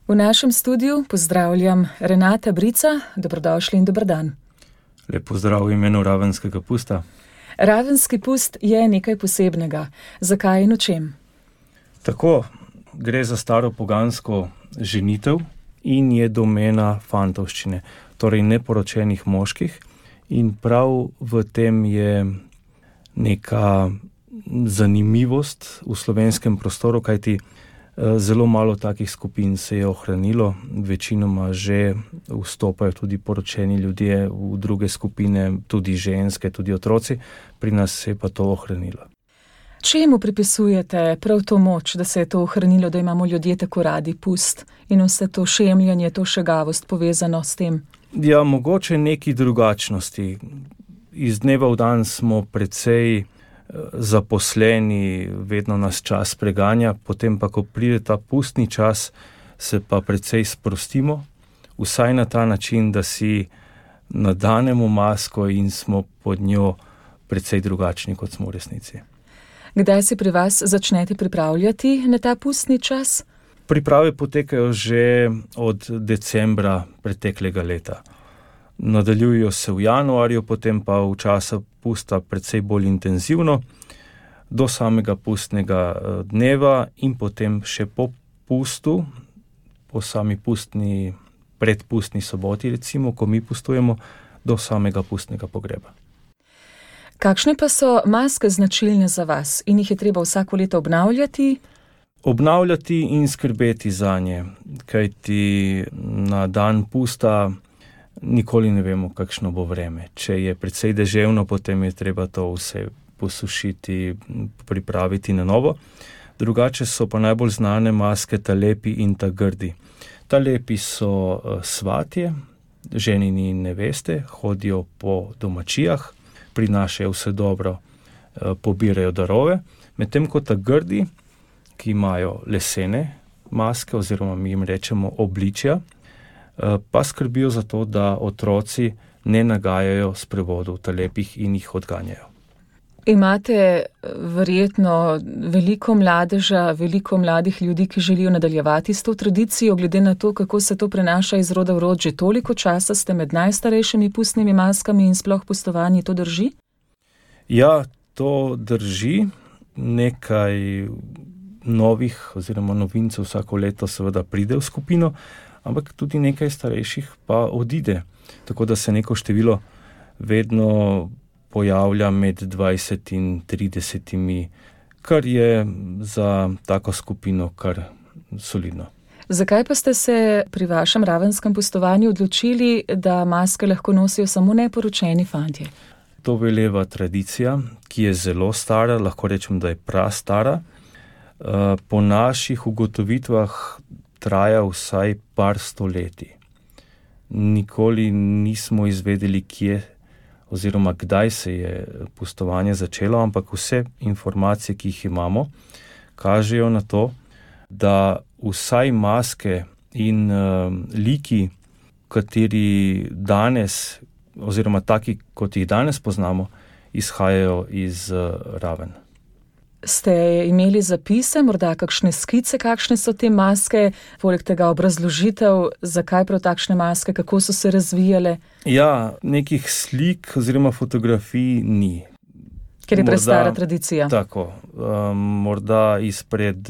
V našem studiu pozdravljam Renata Brica, dobrodošli in dober dan. Lep pozdrav v imenu ravenskega pusta. Ravenski pust je nekaj posebnega. Zakaj in o čem? Tako, gre za staro pogansko ženitev in je domena fantovščine, torej neporočenih moških. In prav v tem je neka zanimivost v slovenskem prostoru, kajti zelo malo takih skupin se je ohranilo, večinoma že vstopajo tudi poročeni ljudje v druge skupine, tudi ženske, tudi otroci, pri nas se je pa to ohranilo. Čemu pripisujete prav to moč, da se je to ohranilo, da imamo ljudje tako radi pust in vse to šemljanje, to šegavost povezano s tem? Ja, mogoče neki drugačnosti. Iz dneva v dan smo precej zaposleni, vedno nas čas preganja, potem pa, ko pride ta pustni čas, se pa precej sprostimo, vsaj na ta način, da si nadanemo masko in smo pod njo precej drugačni, kot smo v resnici. Kdaj se pri vas začnete pripravljati na ta pustni čas? Priprave potekajo že od decembra preteklega leta. Nadaljujejo se v januarju, potem pa v času pusta precej bolj intenzivno, do samega pustnega dneva in potem še po pustu, po sami pustni, predpustni soboti recimo, ko mi pustujemo, do samega pustnega pogreba. Kakšne pa so maske značilne za vas in jih je treba vsako leto obnavljati? Obnavljati in skrbeti zanje, kajti na dan pusta nikoli ne vemo, kakšno bo vreme. Če je precej deževno, potem je treba to vse posušiti, pripraviti na novo. Drugače so pa najbolj znane maske ta lepi in ta grdi. Ta lepi so svatje, ženini in neveste, hodijo po domačijah, prinašajo vse dobro, pobirajo darove, medtem ko ta grdi, ki imajo lesene maske oziroma mi jim rečemo obličja, pa skrbijo za to, da otroci ne nagajajo sprevodov talepih in jih odganjajo. Imate verjetno veliko mladeža, veliko mladih ljudi, ki želijo nadaljevati s to tradicijo, glede na to, kako se to prenaša iz roda v rod. Že toliko časa ste med najstarejšimi pustnimi maskami in sploh pustovanji, to drži? Ja, to drži. Nekaj novih oziroma novincev vsako leto seveda pride v skupino, ampak tudi nekaj starejših pa odide. Tako da se neko število vedno pojavlja med 20 in 30, kar je za tako skupino kar solidno. Zakaj pa ste se pri vašem ravenskem pustovanju odločili, da maske lahko nosijo samo neporočeni fantje? To veleva tradicija, ki je zelo stara, lahko rečem, da je prastara. Po naših ugotovitvah traja vsaj par stoletij. Nikoli nismo izvedeli, kje oziroma kdaj se je pustovanje začelo, ampak vse informacije, ki jih imamo, kažejo na to, da vsaj maske in liki, kateri danes oziroma taki, kot jih danes poznamo, izhajajo iz Raven. Ste imeli zapise, morda kakšne skice, kakšne so te maske, poleg tega obrazložitev, zakaj prav takšne maske, kako so se razvijale? Ja, nekih slik oziroma fotografij ni. Ker je prestara tradicija. Tako. Morda izpred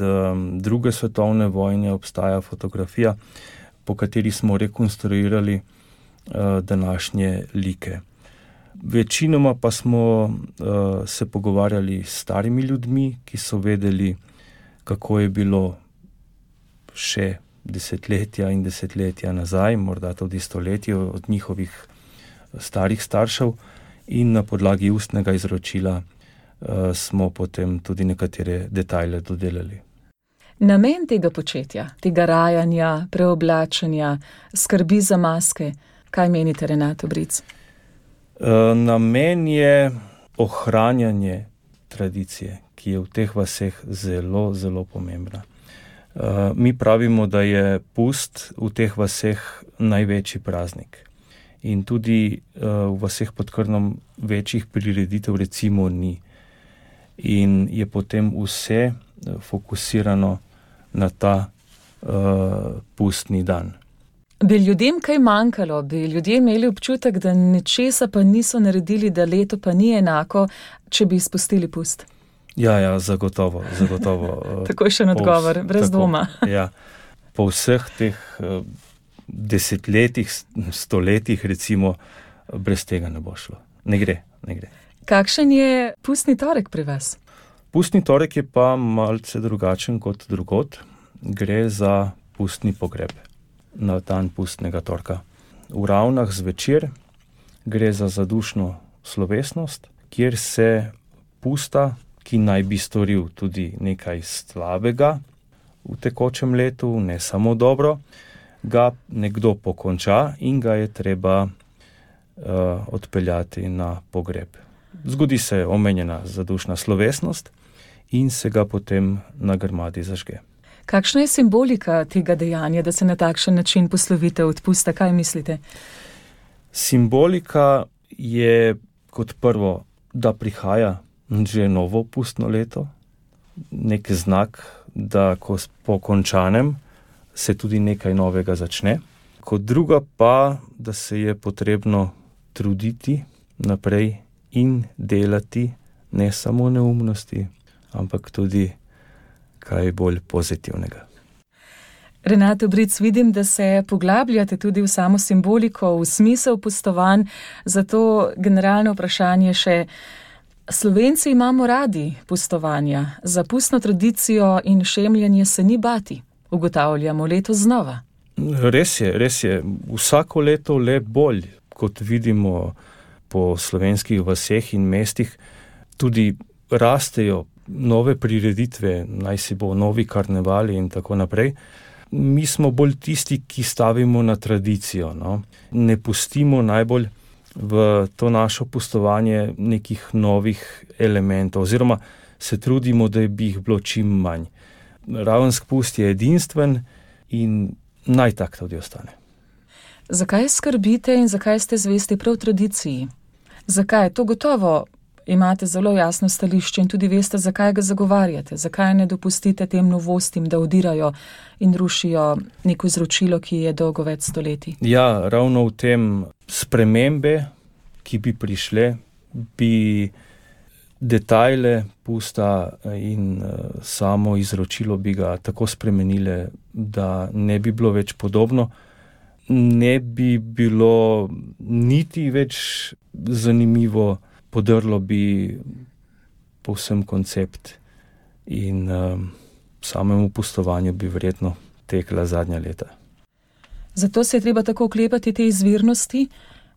druge svetovne vojne obstaja fotografija, po kateri smo rekonstruirali današnje like. Večinoma pa smo se pogovarjali s starimi ljudmi, ki so vedeli, kako je bilo še desetletja in desetletja nazaj, morda tudi stoletje od njihovih starih staršev, in na podlagi ustnega izročila smo potem tudi nekatere detajle dodelali. Namen tega početja, tega rajanja, preoblačenja, skrbi za maske, kaj menite, Renato Bric? Namen je ohranjanje tradicije, ki je v teh vaseh zelo, zelo pomembna. Mi pravimo, da je pust v teh vaseh največji praznik. In tudi v vaseh pod Krnom večjih prireditev recimo ni. In je potem vse fokusirano na ta pustni dan. Bi ljudem kaj manjkalo? Bi ljudje imeli občutek, da ničesa pa niso naredili, da leto pa ni enako, če bi izpustili pust? Ja, zagotovo. Tako je še en odgovor, brez dvoma. Ja, po vseh teh desetletjih, stoletjih recimo, brez tega ne bo šlo. Ne gre. Kakšen je pustni torek pri vas? Pustni torek je pa malce drugačen kot drugod. Gre za pustni pogreb na dan pustnega torka. V Ravnah zvečer gre za zadušno slovesnost, kjer se pusta, ki naj bi storil tudi nekaj slabega v tekočem letu, ne samo dobro, ga nekdo pokonča in ga je treba odpeljati na pogreb. Zgodi se omenjena zadušna slovesnost in se ga potem na grmadi zažge. Kakšna je simbolika tega dejanja, da se na takšen način poslovite od pusta? Kaj mislite? Simbolika je kot prvo, da prihaja že novo pustno leto, nek znak, da ko po končanem se tudi nekaj novega začne. Kot druga pa, da se je potrebno truditi naprej in delati ne samo neumnosti, ampak tudi kaj bolj pozitivnega. Renato Bric, vidim, da se poglabljate tudi v samo simboliko, v smisel pustovanj, zato generalno vprašanje še, Slovenci imamo radi pustovanja, za pustno tradicijo in šemljanje se ni bati, ugotavljamo letos znova. Res je, vsako leto le bolj, kot vidimo po slovenskih vaseh in mestih, tudi rastejo nove prireditve, naj si bo novi karnevali in tako naprej. Mi smo bolj tisti, ki stavimo na tradicijo, no? Ne pustimo najbolj v to našo pustovanje nekih novih elementov, oziroma se trudimo, da bi jih bilo čim manj. Ravenski pust je edinstven in naj tak tudi ostane. Zakaj skrbite in zakaj ste zvesti prav tradiciji? Zakaj? To gotovo imate zelo jasno stališče in tudi veste, zakaj ga zagovarjate. Zakaj ne dopustite tem novostim, da odirajo in rušijo neko izročilo, ki je dolgo več stoletij? Ja, ravno v tem spremembe, ki bi prišle, bi detajle pusta in samo izročilo bi ga tako spremenile, da ne bi bilo več podobno. Ne bi bilo niti več zanimivo, podrlo bi povsem koncept in samemu pustovanju bi verjetno tekla zadnja leta. Zato se je treba tako oklepati te izvirnosti,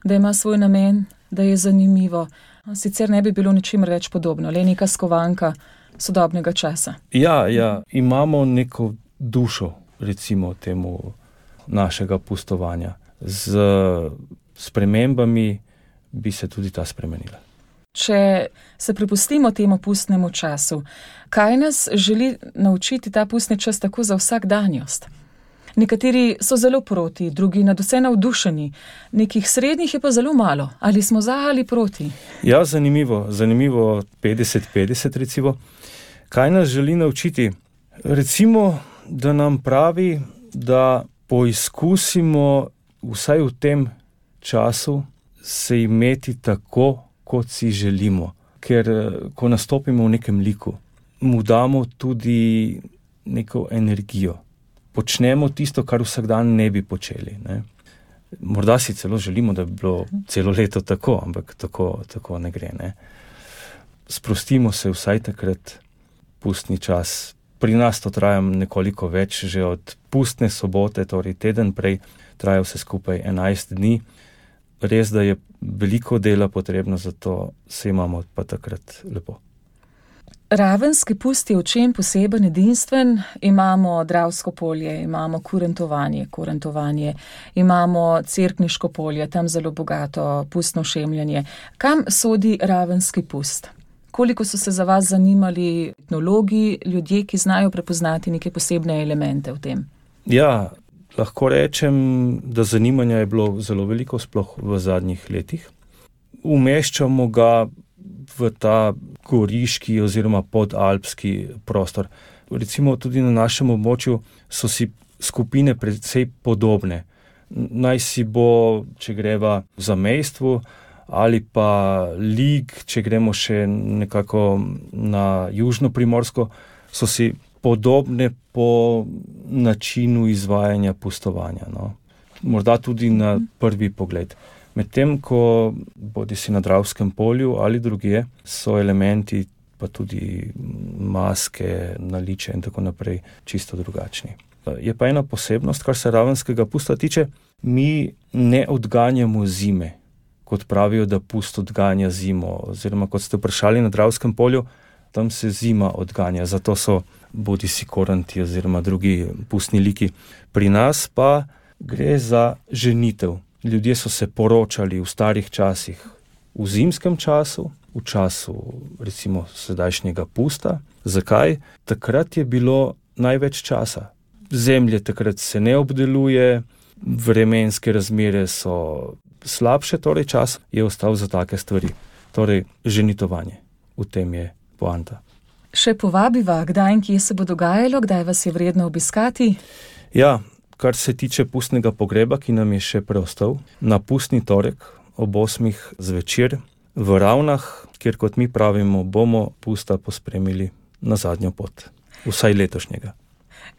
da ima svoj namen, da je zanimivo. Sicer ne bi bilo ničimer več podobno, le neka skovanka sodobnega časa. Ja, imamo neko dušo, recimo temu našega pustovanja. Z spremembami bi se tudi ta spremenila. Če se prepustimo temu pustnemu času, kaj nas želi naučiti ta pustni čas tako za vsakdanjost? Nekateri so zelo proti, drugi nadvse navdušeni, nekih srednjih je pa zelo malo. Ali smo za ali proti? Ja, zanimivo, 50-50 recimo. Kaj nas želi naučiti? Recimo, da nam pravi, da poizkusimo vsaj v tem času se imeti tako, kot si želimo. Ker ko nastopimo v nekem liku, mu damo tudi neko energijo. Počnemo tisto, kar vsak dan ne bi počeli. Ne? Morda si celo želimo, da bi bilo celo leto tako, ampak tako ne gre. Ne? Sprostimo se vsaj takrat, pustni čas. Pri nas to traja nekoliko več, že od pustne sobote, torej teden prej, traja vse skupaj 11 dni. Res, da je veliko dela potrebno, zato se imamo pa takrat lepo. Ravenski pust je v čem poseben edinstven? Imamo Dravsko polje, imamo kurentovanje, imamo Cerkniško polje, tam zelo bogato pustno šemljanje. Kam sodi ravenski pust? Koliko so se za vas zanimali etnologi, ljudje, ki znajo prepoznati neke posebne elemente v tem? Ja, lahko rečem, da zanimanja je bilo zelo veliko, sploh v zadnjih letih. Umeščamo ga v ta goriški oziroma podalpski prostor. Recimo tudi na našem območju so si skupine precej podobne. Naj si bo, če greva v zamejstvu, ali pa lig, če gremo še nekako na južno Primorsko, so si podobne po načinu izvajanja pustovanja. No. Morda tudi na prvi pogled. Medtem ko bodi si na Dravskem polju ali drugje, so elementi pa tudi maske, naličja in tako naprej čisto drugačni. Je pa ena posebnost, kar se ravenskega pusta tiče, mi ne odganjamo zime, kot pravijo, da pust odganja zimo, oziroma kot ste vprašali na Dravskem polju, tam se zima odganja, zato so bodi si koranti oziroma drugi pustni liki. Pri nas pa gre za ženitev. Ljudje so se poročali v starih časih, v zimskem času, v času recimo sedajšnjega pusta. Zakaj? Takrat je bilo največ časa. Zemlje takrat se ne obdeluje, vremenske razmere so slabše, torej čas je ostal za take stvari. Torej, ženitovanje. V tem je poanta. Še povabiva, kdaj in kje se bo dogajalo, kdaj vas je vredno obiskati? Ja, kar se tiče pustnega pogreba, ki nam je še preostal, na pustni torek ob 8 zvečer v Ravnah, kjer kot mi pravimo, bomo pusta pospremili na zadnjo pot. Vsaj letošnjega.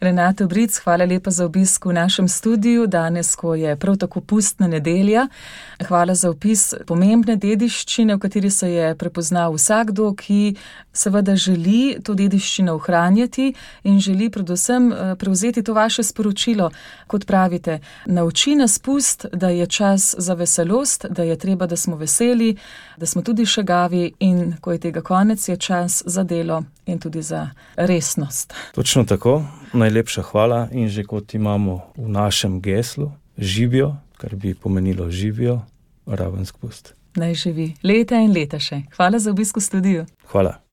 Renato Bric, hvala lepa za obisk v našem studiu, danes, ko je prav tako pustna nedelja. Hvala za opis pomembne dediščine, v kateri se je prepoznal vsakdo, ki seveda želi to dediščino ohranjati in želi predvsem prevzeti to vaše sporočilo, kot pravite, nauči nas pust, da je čas za veselost, da je treba, da smo veseli, da smo tudi šegavi in ko je tega konec, je čas za delo in tudi za resnost. Točno tako. Najlepša hvala in že kot imamo v našem geslu, živijo, kar bi pomenilo živijo, Ravenski pust. Naj živi leta in leta še. Hvala za obisk v studiu. Hvala.